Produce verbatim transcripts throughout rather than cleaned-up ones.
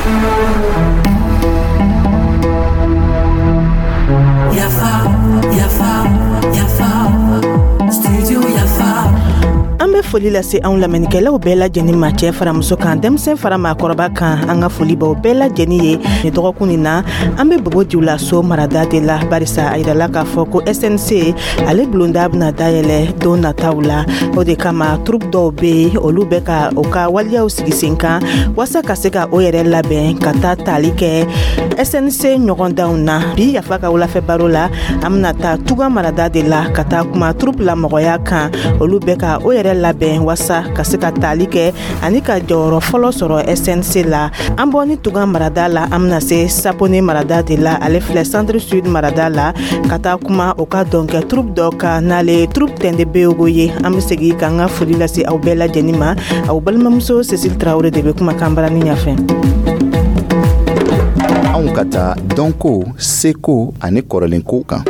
Yafa, Yafa, Yafa, Studio Yafa. An bɛ foli lase anw lamɛnnikɛlaw bɛɛ lajɛlen ma, cɛ fara muso kan, denmisɛn fara maakɔrɔba kan. An ka foli baw bɛɛ lajɛlen ye. Ni dɔgɔkun nin na, an bɛ Bobo Julaso marada de la, barisa a yirala k'a fɔ ko S N C ale bulonda bɛna dayɛlɛ don nataw la. O de kama, troupe dɔw bɛ yen, olu bɛ ka u ka waleyaw sigi sen kan waasa ka se ka o yɛrɛ labɛn ka taa tali kɛ S N C ɲɔgɔndanw na. Bi Yafa ka wulafɛ baro la, an bɛna taa Tuga marada de la ka taa kuma troupe lamɔgɔya kan. Olu bɛ ka o yɛrɛ labɛn waasa ka se ka tali kɛ ani ka jɔyɔrɔ fɔlɔ sɔrɔ S N C la. An bɔ ni Tuga marada la, an bɛna se Sapone marada de la, ale filɛ Centre Sud marada la, ka taa kuma o ka dɔnkɛ troupe dɔ kan, n'ale troupe Tɛnde Beyogo ye. An bɛ segin k'an ka foli lase aw bɛɛ lajɛlen ma. Aw balimamuso Cécile Traoré de bɛ kumakan barani ɲɛfɛ. Anw ka taa dɔnko, seko ani kɔrɔlenko kan.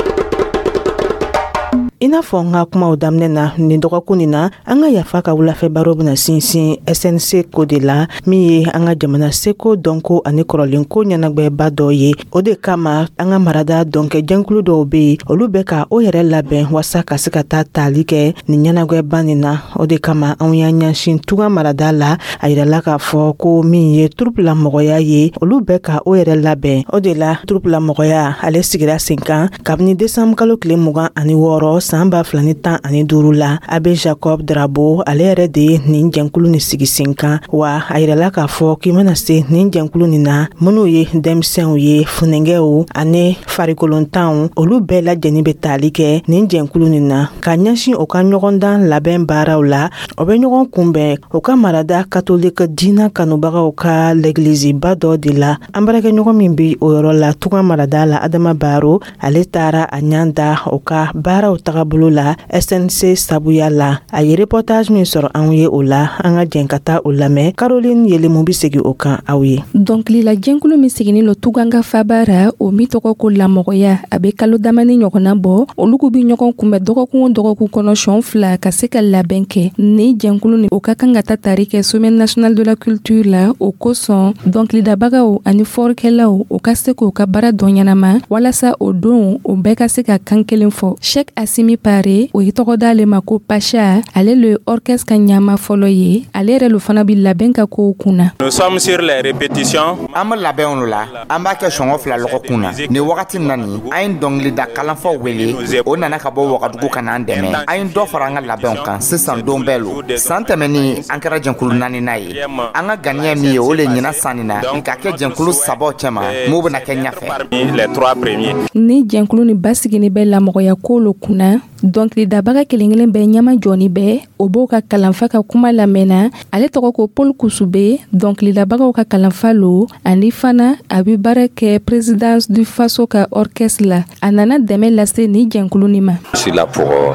I n'a fɔ n ka kumaw daminɛ na, nin dɔgɔkun nin na, an ka Yafa ka wulafɛ baro bena sinsin S N C ko de la, min ye an ka jamana seko, dɔnko ani kɔrɔlenko ɲɛnagwɛba dɔ ye. O de kama, an ka marada dɔnkɛ jɛnkulu dɔw be yen, olu bɛ ka o yɛrɛ labɛn waasa ka se ka taa tali kɛ nin ɲɛnagwɛba nin na. O de kama, anw y'an ɲɛsin Tuga marada la. A yirala k'a fɔ ko min ye troupe la mɔgɔya ye, olu bɛ ka o yɛrɛ labɛn. O de la, troupe la mɔgɔya ale sigira sen kan kabini desanbu kalo tile mugan ani wɔɔrɔ san ba fila ni tan ani duuru la. Abe Jacob Drabo, ale yɛrɛ de ye nin jɛnkulu nin sigi sen kan. Wa a yirala k'a fɔ k'i mana se nin jɛnkulu nin na, minnu ye denmisɛnw ye, funɛngɛw ani farikolontanw, olu bɛɛ lajɛlen bɛ tali kɛ nin jɛnkulu nin na ka ɲɛsin o ka ɲɔgɔndan labɛn baaraw la. O bɛ ɲɔgɔn kunbɛn o ka marada katolika diina kanubagaw ka lɛgiliziba dɔ de la. An baarakɛɲɔgɔn min bi o yɔrɔ la Tuga marada la, Adama Baro, ale taara a ɲan da o ka baaraw tagabolo la S N C sabuya la. A ye reportage min sɔrɔ anw ye o la, an ka jɛn ka taa o lamɛn. Caroline Yelemu bi segi o kan aw ye. Dɔnkilila jɛnkulu min siginin lo Tuganga faba ra, o min tɔgɔ ko Lamɔgɔya, a be kalo damani ɲɔgɔnna bɔ. Olu k'u bi ɲɔgɔn kunbɛn dɔgɔkun o dɔgɔkun kɔnɔ sɔn fila ka se ka labɛn kɛ. Ni jɛnkulu ni o ka kan ka ta tari kɛ Semaine nationale de la culture la, o kosɔn dɔnkilidabagaw ani fɔrikɛlaw, o ka se k'o ka baara dɔn ɲɛnama walasa o don o bɛɛ ka se ka kan kelen fɔ. Shek Asimi Pare, o ye tɔgɔ d'ale ma ko Pacha, ale le orchestre ka ɲama fɔlɔ ye. Ale yɛrɛ lo fana bi labɛn ka kow kunna. Nous sommes sur les répétitions. An bɛ labɛnw la, an b'a kɛ sɔngɔ fila lɔgɔkun na. Nin wagati na nin, an ye dɔnkilida kalanfaw wele, o nana ka bɔ Wagadugu ka n'an dɛmɛ. An ye dɔ fara an ka labɛnw kan sisan don bɛɛ lo. San tɛmɛnin, an kɛra jɛnkulu naaninan ye. An ka ganiya min ye, o le ɲina sanni na ka kɛ jɛnkulu sabaw cɛma m'o bɛna kɛ ɲɛfɛ. Parmi les trois premiers. Ni jɛnkulu ni basigini bɛ lamɔgɔya ko lo kunna, dɔnkilidabaga kelen kelen bɛɛ ɲɛma jɔni bɛɛ o b'o ka kalanfa ka kuma lamɛnna. Ale tɔgɔ ko Paul Kusube, dɔnkilidabagaw ka kalanfa lo, ani fana a bɛ baara kɛ Présidence du Faso ka orchestre la. A nana dɛmɛ lase ni jɛnkulu ni ma. Je suis là pour euh,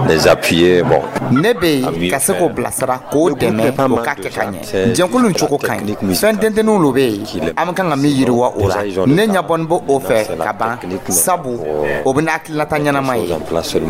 les appuyer. Bon, Ne bɛ yen ka se k'o bilasira, k'o dɛmɛ o ka kɛ ka ɲɛ. Jɛnkulu nin cogo ka ɲi, fɛn dentenninw lo bɛ yen, an bɛ kan ka min yiriwa o la. Ne ɲɛbɔni bɛ o fɛ ka ban, sabu o bɛ hakilinata ɲɛnama ye.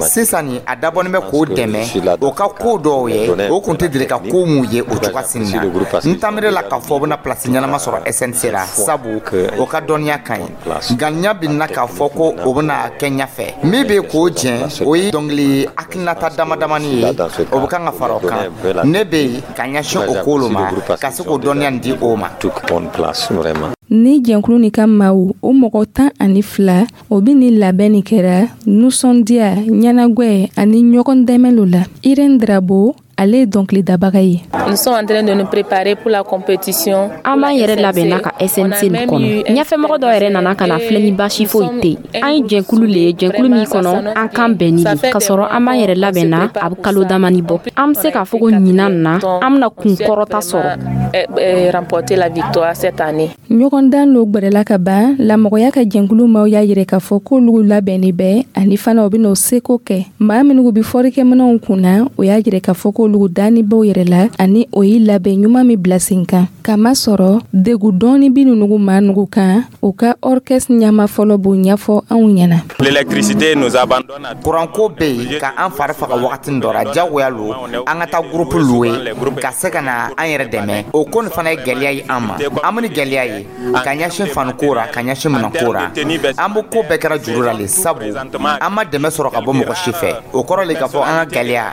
Sisan nin, a dabɔnin bɛ k'o dɛmɛ o ka ko dɔw ye, o kun tɛ deli ka ko mun ye o cogoya sini na. N tamire la k'a fɔ o bɛna place ɲɛnama sɔrɔ S N C la, sabu o ka dɔnniya ka ɲi. Nka ɲɛ bɛ na k'a fɔ ko o bɛna kɛ ɲɛfɛ. Min bɛ k'o jɛn, o ye dɔnkili hakilinata dama damani ye, o bɛ kan ka fara o kan. Ne bɛ yen ka ɲɛsin o ko lo ma, ka se k'o dɔnniya nin di o ma. Toute bonne place, vraiment. Ni jɛnkulu ni ka maaw, o mɔgɔ tan ani fila, o bi ni labɛn nin kɛra nusɔndiya, ɲɛnagwɛ ani ɲɔgɔn dɛmɛ lo la. Irene Drabo, ale ye dɔnkilidabaga ye. Nous sommes en train de nous préparer pour la compétition. An b'an yɛrɛ labɛnna ka S N C nin kɔnɔ. Ɲɛfɛmɔgɔ dɔ yɛrɛ nana ka na filɛ ni baasi foyi tɛ yen. An ye jɛnkulu le ye, jɛnkulu min kɔnɔ an kan bɛnni le ka sɔrɔ. An b'an yɛrɛ labɛnna, a bɛ kalo damani bɔ. An bɛ se k'a fɔ ko ɲinan na, an bɛna kun kɔrɔta sɔrɔ. Remporter la victoire cette année. Ɲɔgɔndan lo gwɛrɛla ka ban. Lamɔgɔya ka jɛnkulu maaw y'a yɛrɛ k'a fɔ k'olu labɛnni bɛ, ani fana o bɛna o seko kɛ. Maa minnu bɛ fɔrikɛminɛw kunna, o y'a yɛrɛ k'a fɔ k'olu. k'olu danni b'o yɛrɛ la ani o ye labɛn ɲuman min bila sen kan. Kamasɔrɔ degu dɔɔni bi nunugu maa nugu kan, u ka orchestre ɲama fɔlɔ b'o ɲɛfɔ anw ɲɛna. L'électricité nous abandonne. Kuranko bɛ yen ka an fari faga wagati dɔ la, jagoya lo an ka taa groupe louer ka se ka na an yɛrɛ dɛmɛ. O ko nin fana ye gɛlɛya ye an ma. An bɛ ni gɛlɛya ye ka ɲɛsin faniko ra, ka ɲɛsin minɛnko ra. An bɛ ko bɛɛ kɛra juru la le, sabu an ma dɛmɛ sɔrɔ ka bɔ mɔgɔ si fɛ. O kɔrɔ le k'a fɔ an ka gɛlɛya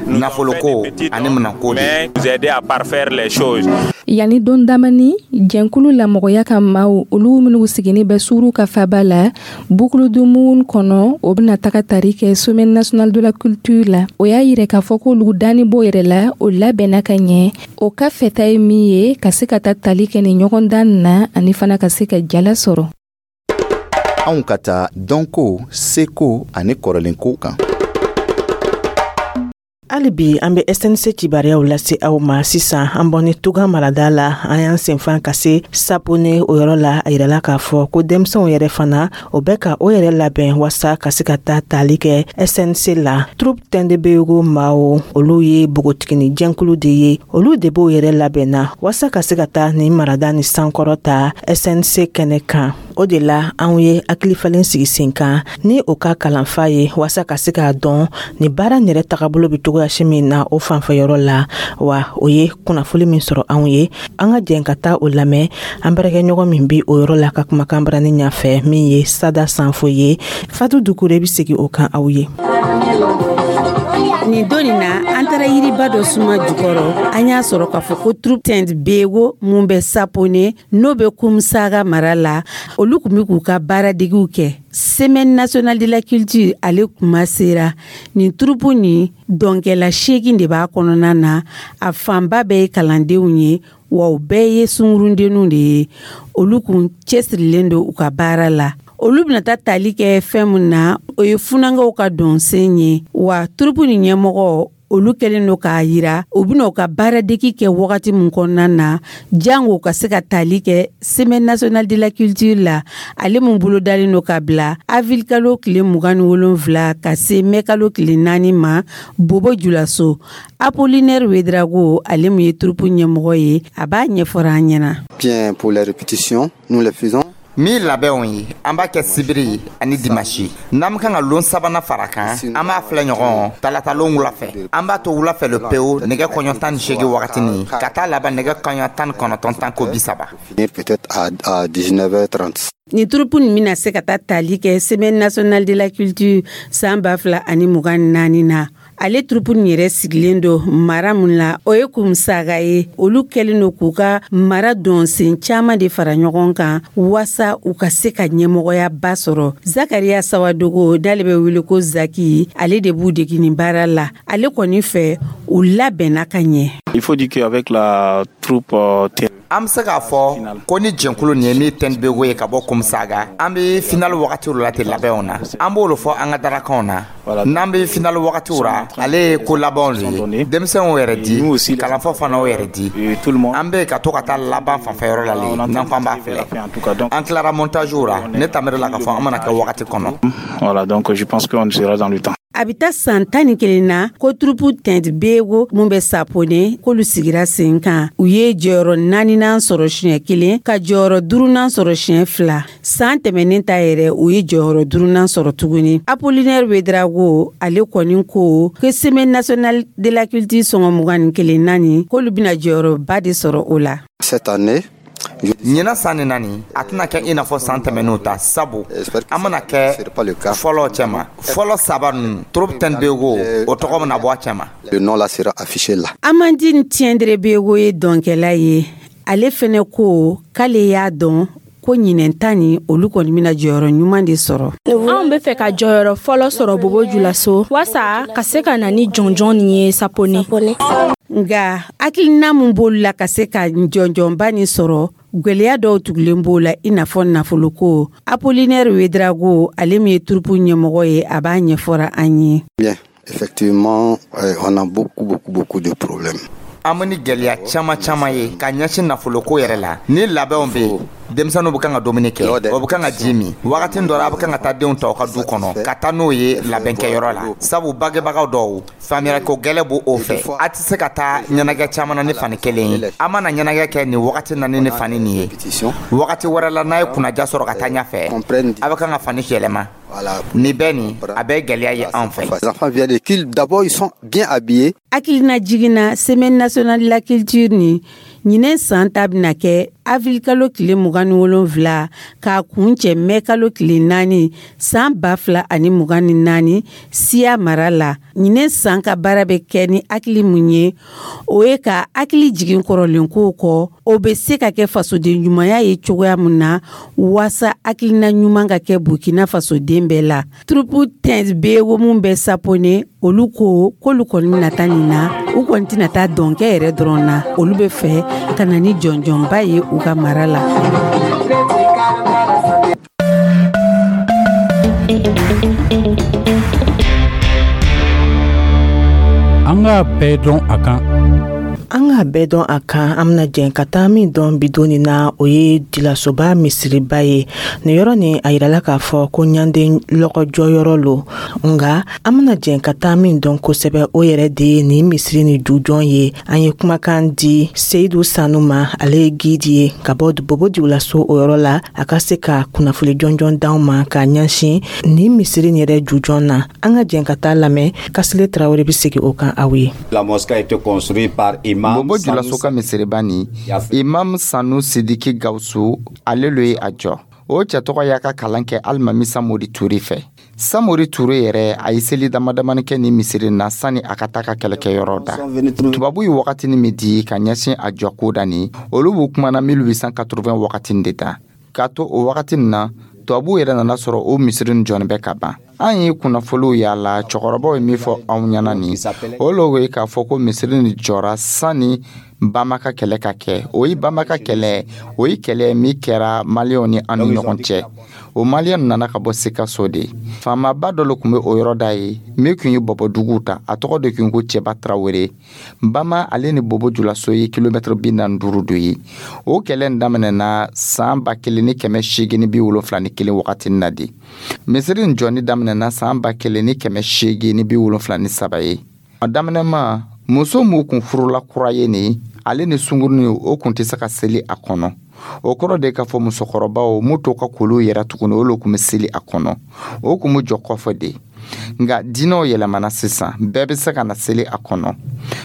nafoloko ani minɛnko de. Nous aider à parfaire les choses. Yanni don damani, jɛnkulu lamɔgɔya ka maaw, olu minnu sigini bɛ suuru ka faba la bukuludumun kɔnɔ, o bɛna taga tari kɛ Semaine nationale de la culture la. O y'a yira k'a fɔ k'olu danni b'o yɛrɛ la, o labɛnna ka ɲɛ. O ka fɛta ye min ye, ka se ka taa tali kɛ nin ɲɔgɔndan na ani fana ka se ka jala sɔrɔ. Anw ka taa dɔnko, seko ani kɔrɔlenko kan. Hali bi an bɛ S N C kibaruyaw lase aw ma. Sisan an bɔni Tuga marada la, an y'an senfan ka se Sapone. O yɔrɔ la, a yirala k'a fɔ ko denmisɛnw yɛrɛ fana, o bɛ ka o yɛrɛ labɛn wasa ka se ka taa tali kɛ S N C la. Troupe Tɛndebeyugu maaw, olu ye bogotigini jɛnkulu de ye. Olu de b'o yɛrɛ labɛnna wasa ka se ka taa nin marada ni sankɔrɔ ta S N C kɛnɛ kan. O de la anw ye hakilifalen sigi sen kan ni o ka kalanfa ye, wasa ka se k'a dɔn ni baara yɛrɛ tagabolo bɛ cogoyasi min na o fanfɛyɔrɔ la. Wa o ye kunnafoli min sɔrɔ anw ye, an ka jɛn ka taa o lamɛn an baarakɛɲɔgɔn min bi o yɔrɔ la ka kumakan barani ɲɛfɛ, min ye Sada Sanfo ye. Fatu Dukure bɛ segin o kan aw ye. Nin don nin na, an taara yiriba dɔ suma jukɔrɔ. An y'a sɔrɔ k'a fɔ ko troupe Tɛnt Bego mun bɛ Sapone, n'o bɛ Kumusaga mara la, olu tun bɛ k'u ka baaradegiw kɛ. Semaine nationale de la culture, ale kuma sera. Nin troupe nin, dɔnkɛla seegin de b'a kɔnɔna na. A fanba bɛɛ ye kalandenw ye, wa u bɛɛ ye sunkurundenninw de ye. Olu kun cɛsirilen don u ka baara la. Olu bɛna taa tali kɛ fɛn min na, o ye funankɛw ka dɔnsen ye. Wa troupe nin ɲɛmɔgɔ, olu kɛlen don k'a yira u bɛna u ka baaradegi kɛ wagati min kɔnɔna na, jango ka se ka tali kɛ Semaine nationale de la culture la, ale mun bolodalen don ka bila avril kalo tile mugan ni wolonfila ka se mɛ kalo tile naani ma Bobo Julaso. Apollinaire Wedrago, ale mun ye troupe ɲɛmɔgɔ ye, a b'a ɲɛfɔra an ɲɛna. Bien, pour les répétitions, nous les faisons Min labɛnw ye, an b'a kɛ sibiri ani dimasi. N'an bɛ kan ka lon sabanan fara kan, an b'a filɛ ɲɔgɔn talatalon wula fɛ. An b'a to wula fɛ le pewu, nɛgɛ kɔɲɔ tan ni seegin wagatini ka taa laban nɛgɛ kɔɲɔ tan ni kɔnɔntɔn tan ko bi saba. Peut-être à, à dix-neuf heures trente. Nin troupe nin bɛna se ka taa tali kɛ Semaine nationale de la culture san ba fila ani mugan ni naani na. Ale troupe nin yɛrɛ sigilen don mara mun la, o ye Kumusaga ye. Olu kɛlen don k'u ka mara dɔnsen caaman de fara ɲɔgɔn kan wasa u ka se ka ɲɛmɔgɔyaba sɔrɔ. Zakariya Sawadogo, n'ale bɛ wele ko Zaki, ale de b'u degi nin baara la. Ale kɔni fɛ, u labɛnna ka ɲɛ. Il faut dire qu'avec la troupe euh, An bɛ se k'a fɔ ko ni jɛnkulu nin ye min Tɛnbego ye ka bɔ Kumusaga, an bɛ finale wagatiw la ten labɛnw na. An b'olu fɔ an ka darakanw na. N'an bɛ finale wagatiw ra, ale ye ko labanw de ye. Denmisɛnw yɛrɛ di, kalanfa fana o yɛrɛ di. An bɛ ka to ka taa laban fanfɛyɔrɔ la le. N'an ko an b'a filɛ, an tilara montage ra. Ne tamɛrɛ la k'a fɔ an mana kɛ wagati kɔnɔ. Voilà, donc je pense qu'on sera dans le temps. A bɛ taa san tan ni kelen na ko troupe Tɛnt Bego mun bɛ Sapone, k'olu sigira sen kan. U ye jɔyɔrɔ naaninan sɔrɔ siɲɛ kelen, ka jɔyɔrɔ duurunan sɔrɔ siɲɛ fila. San tɛmɛnen ta yɛrɛ, u ye jɔyɔrɔ duurunan sɔrɔ tuguni. Apollinaire Wedrago, ale kɔni ko ko Semaine nationale de la culture sɔngɔ mugan ni kelen naani, k'olu bɛna jɔyɔrɔba de sɔrɔ o la. Cette année, Ɲinan san ni naani, a tɛna kɛ i n'a fɔ san tɛmɛn'o ta, sabu an bɛna kɛ fɔlɔ cɛma. Fɔlɔ saba ninnu, troupe Tɛnbego, o tɔgɔ bɛna bɔ a cɛma. Le nom là sera affiché là. Amandine Tiendré Bego ye dɔnkɛla ye. Ale fɛnɛ ko k'ale y'a dɔn ko ɲinɛn ta ni, olu kɔni bɛna jɔyɔrɔ ɲuman de sɔrɔ. Anw bɛ fɛ ka jɔyɔrɔ fɔlɔ sɔrɔ Bobo Julaso, wasa ka se ka na ni jɔnjɔn nin ye Sapone. Nga hakilina mun b'olu la ka se ka jɔnjɔnba nin sɔrɔ, gwɛlɛya dɔw tugulen b'o la, i n'a fɔ nafoloko. Apollinaire Wedrago, ale min ye troupe ɲɛmɔgɔ ye, a b'a ɲɛfɔra an ye. Bien, effectivement, euh, on a beaucoup, beaucoup, beaucoup de problèmes. An bɛ ni gɛlɛya caman caman ye ka ɲɛsin nafoloko yɛrɛ la. Ni labɛnw bɛ yen, denmisɛnninw bɛ kan ka dumuni kɛ, o bɛ kan ka ji min. Wagati dɔ la, a bɛ kan ka taa denw ta aw ka du kɔnɔ ka taa n'o ye labɛnkɛyɔrɔ la, sabu bangebagaw dɔw, faamuyako gɛlɛn b'o o fɛ. A tɛ se ka taa ɲɛnajɛ caman na ni fani kelen ye. A mana ɲɛnajɛ kɛ nin wagati na ni ni fani nin ye, wagati wɛrɛ la, n'a ye kunnaja sɔrɔ ka taa ɲɛfɛ, a bɛ kan ka fani yɛlɛma. Nin bɛɛ nin, a bɛ gɛlɛya ye anw fɛ. Les enfants viennent et d'abord ils sont bien habillés. Hakilina jiginna, Semaine nationale de la culture ni ɲinɛ san ta bɛna kɛ avril kalo tile mugan ni wolonfila k'a kun cɛ mɛ kalo tile naani san ba fila ani mugan ni naani Siya mara la. Ɲinɛ san ka baara bɛ kɛ ni hakili mun ye, o ye ka hakili jigin kɔrɔlenkow kɔ, o bɛ se ka kɛ fasoden ɲumanya ye cogoya mun na, waasa hakilina ɲuman ka kɛ Burkina fasoden bɛɛ la. Troupe Tɛn Bego mun bɛ Sapone, olu ko k'olu kɔni bɛna taa nin na, u kɔni tɛna taa dɔnkɛ yɛrɛ dɔrɔn na, olu bɛ fɛ ka na ni jɔnjɔnba ye u ka mara la. An k'a bɛɛ dɔn a kan. An k'a bɛɛ dɔn a kan, an bɛna jɛn ka taa min dɔn bidon nin na, o ye Dilasoba misiriba ye. Nin yɔrɔ nin, a yirala k'a fɔ ko ɲanden lɔgɔjɔyɔrɔ lo, nka an bɛna jɛn ka taa min dɔn kosɛbɛ, o yɛrɛ de ye nin misiri ni jujɔn ye. An ye kumakan di Seyidu Sanu ma, ale ye guide ye ka bɔ Bobo Dioulasso o yɔrɔ la, a ka se ka kunnafoni jɔnjɔn d'anw ma k'a ɲɛsin nin misiri nin yɛrɛ jujɔn na. An ka jɛn ka taa lamɛn, Kasile Tarawele bɛ segin o kan aw ye. La mosquée a été construite par Imam Bobo Julaso ka misiriba nin, Imam Sanu Sidiki Gawusu, ale lo ye a jɔ. O cɛ tɔgɔ y'a ka kalan kɛ Alimami Samori Ture fɛ. Samori Ture yɛrɛ, a ye seli damadamani kɛ ni misiri na sani a ka taa ka kɛlɛkɛyɔrɔ da. Tubabu ye wagatini min di ka ɲɛsin a jɔko da nin, olu b'u kumana mille huit cent quatre-vingts wagatini de da. K'a to o wagatini na, tubabuw yɛrɛ nana sɔrɔ o misiri nin jɔni bɛ ka ban. An ye kunnafoliw yala, cɛkɔrɔbaw ye min fɔ anw ɲɛna nin, o lo ye k'a fɔ ko misiri nin jɔra sanni Bamaka kɛlɛ ka kɛ. O ye Bamaka kɛlɛ, o ye kɛlɛ min kɛra Maliyɛnw ni an ni ɲɔgɔn cɛ. O Maliyɛn nana ka bɔ Sikaso de. Faamaba dɔ le tun bɛ o yɔrɔ da ye min tun ye Bɔbɔduguw ta, a tɔgɔ de tun ko Cɛba Tarawele. Bama ale ni Bobo Julaso ye kilomɛtɛrɛ bi naani duuru do ye. O kɛlɛ in daminɛna san ba kelen ni kɛmɛ seegin ni bi wolonfila ni kelen wagati na de. Misiri in jɔni daminɛna san ba kelen ni kɛmɛ seegin ni bi wolonfila ni saba ye. A daminɛma, muso m'u kun furula kura ye nin, ale ni sunkurunin, o kun tɛ se ka seli a kɔnɔ. O kɔrɔ de k'a fɔ musokɔrɔbaw m'u to ka kolow yɛrɛ tuguni, olu kun bɛ seli a kɔnɔ, o kun bɛ jɔ kɔfɛ de. Nka diinɛw yɛlɛmana sisan, bɛɛ bɛ se ka na seli a kɔnɔ.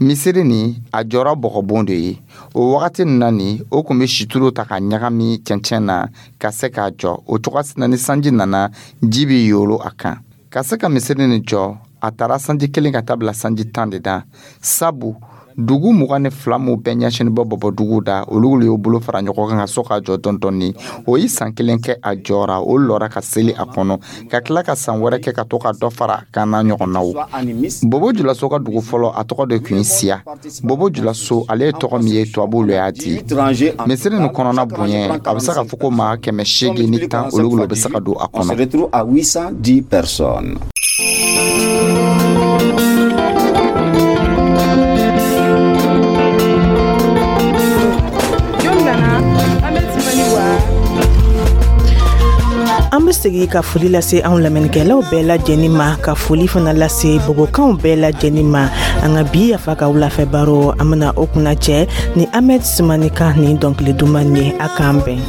Misiri nin, a jɔra bɔgɔbon de ye. O wagati nin na nin, o kun bɛ situlu ta ka ɲagami cɛncɛn na ka se k'a jɔ o cogoya na. Ni sanji nana, ji bɛ yolo a kan. Ka se ka misiri nin jɔ, a taara sanji kelen ka taa bila sanji tan de da, sabu dugu mugan ni fila m'u bɛɛ ɲɛsinin bɔ Bɔbɔdugu da, olu y'o bolo fara ɲɔgɔn kan ka so k'a jɔ dɔɔni dɔɔni. O ye san kelen kɛ a jɔra, o lɔra ka seli a kɔnɔ, ka tila ka san wɛrɛ kɛ ka to ka dɔ fara kan n'a ɲɔgɔnnaw. Bobo Julaso ka dugu fɔlɔ, a tɔgɔ de tun ye Siya. Bobo Julaso, ale ye tɔgɔ min ye, tubabuw lo y'a di. Misiri nin kɔnɔna bonya, a bɛ se k'a fɔ ko maa kɛmɛ seegin ni tan, olu bɛ se ka don a kɔnɔ. An bɛ segin ka foli lase anw lamɛnnikɛlaw bɛɛ lajɛlen ma, ka foli fana lase bobokanw bɛɛ lajɛlen ma. An ka bi Yafa ka wulafɛ baro, an bɛna o kunna cɛ ni Ahmed Sumani ka nin dɔnkili duman ye. A k'an bɛn.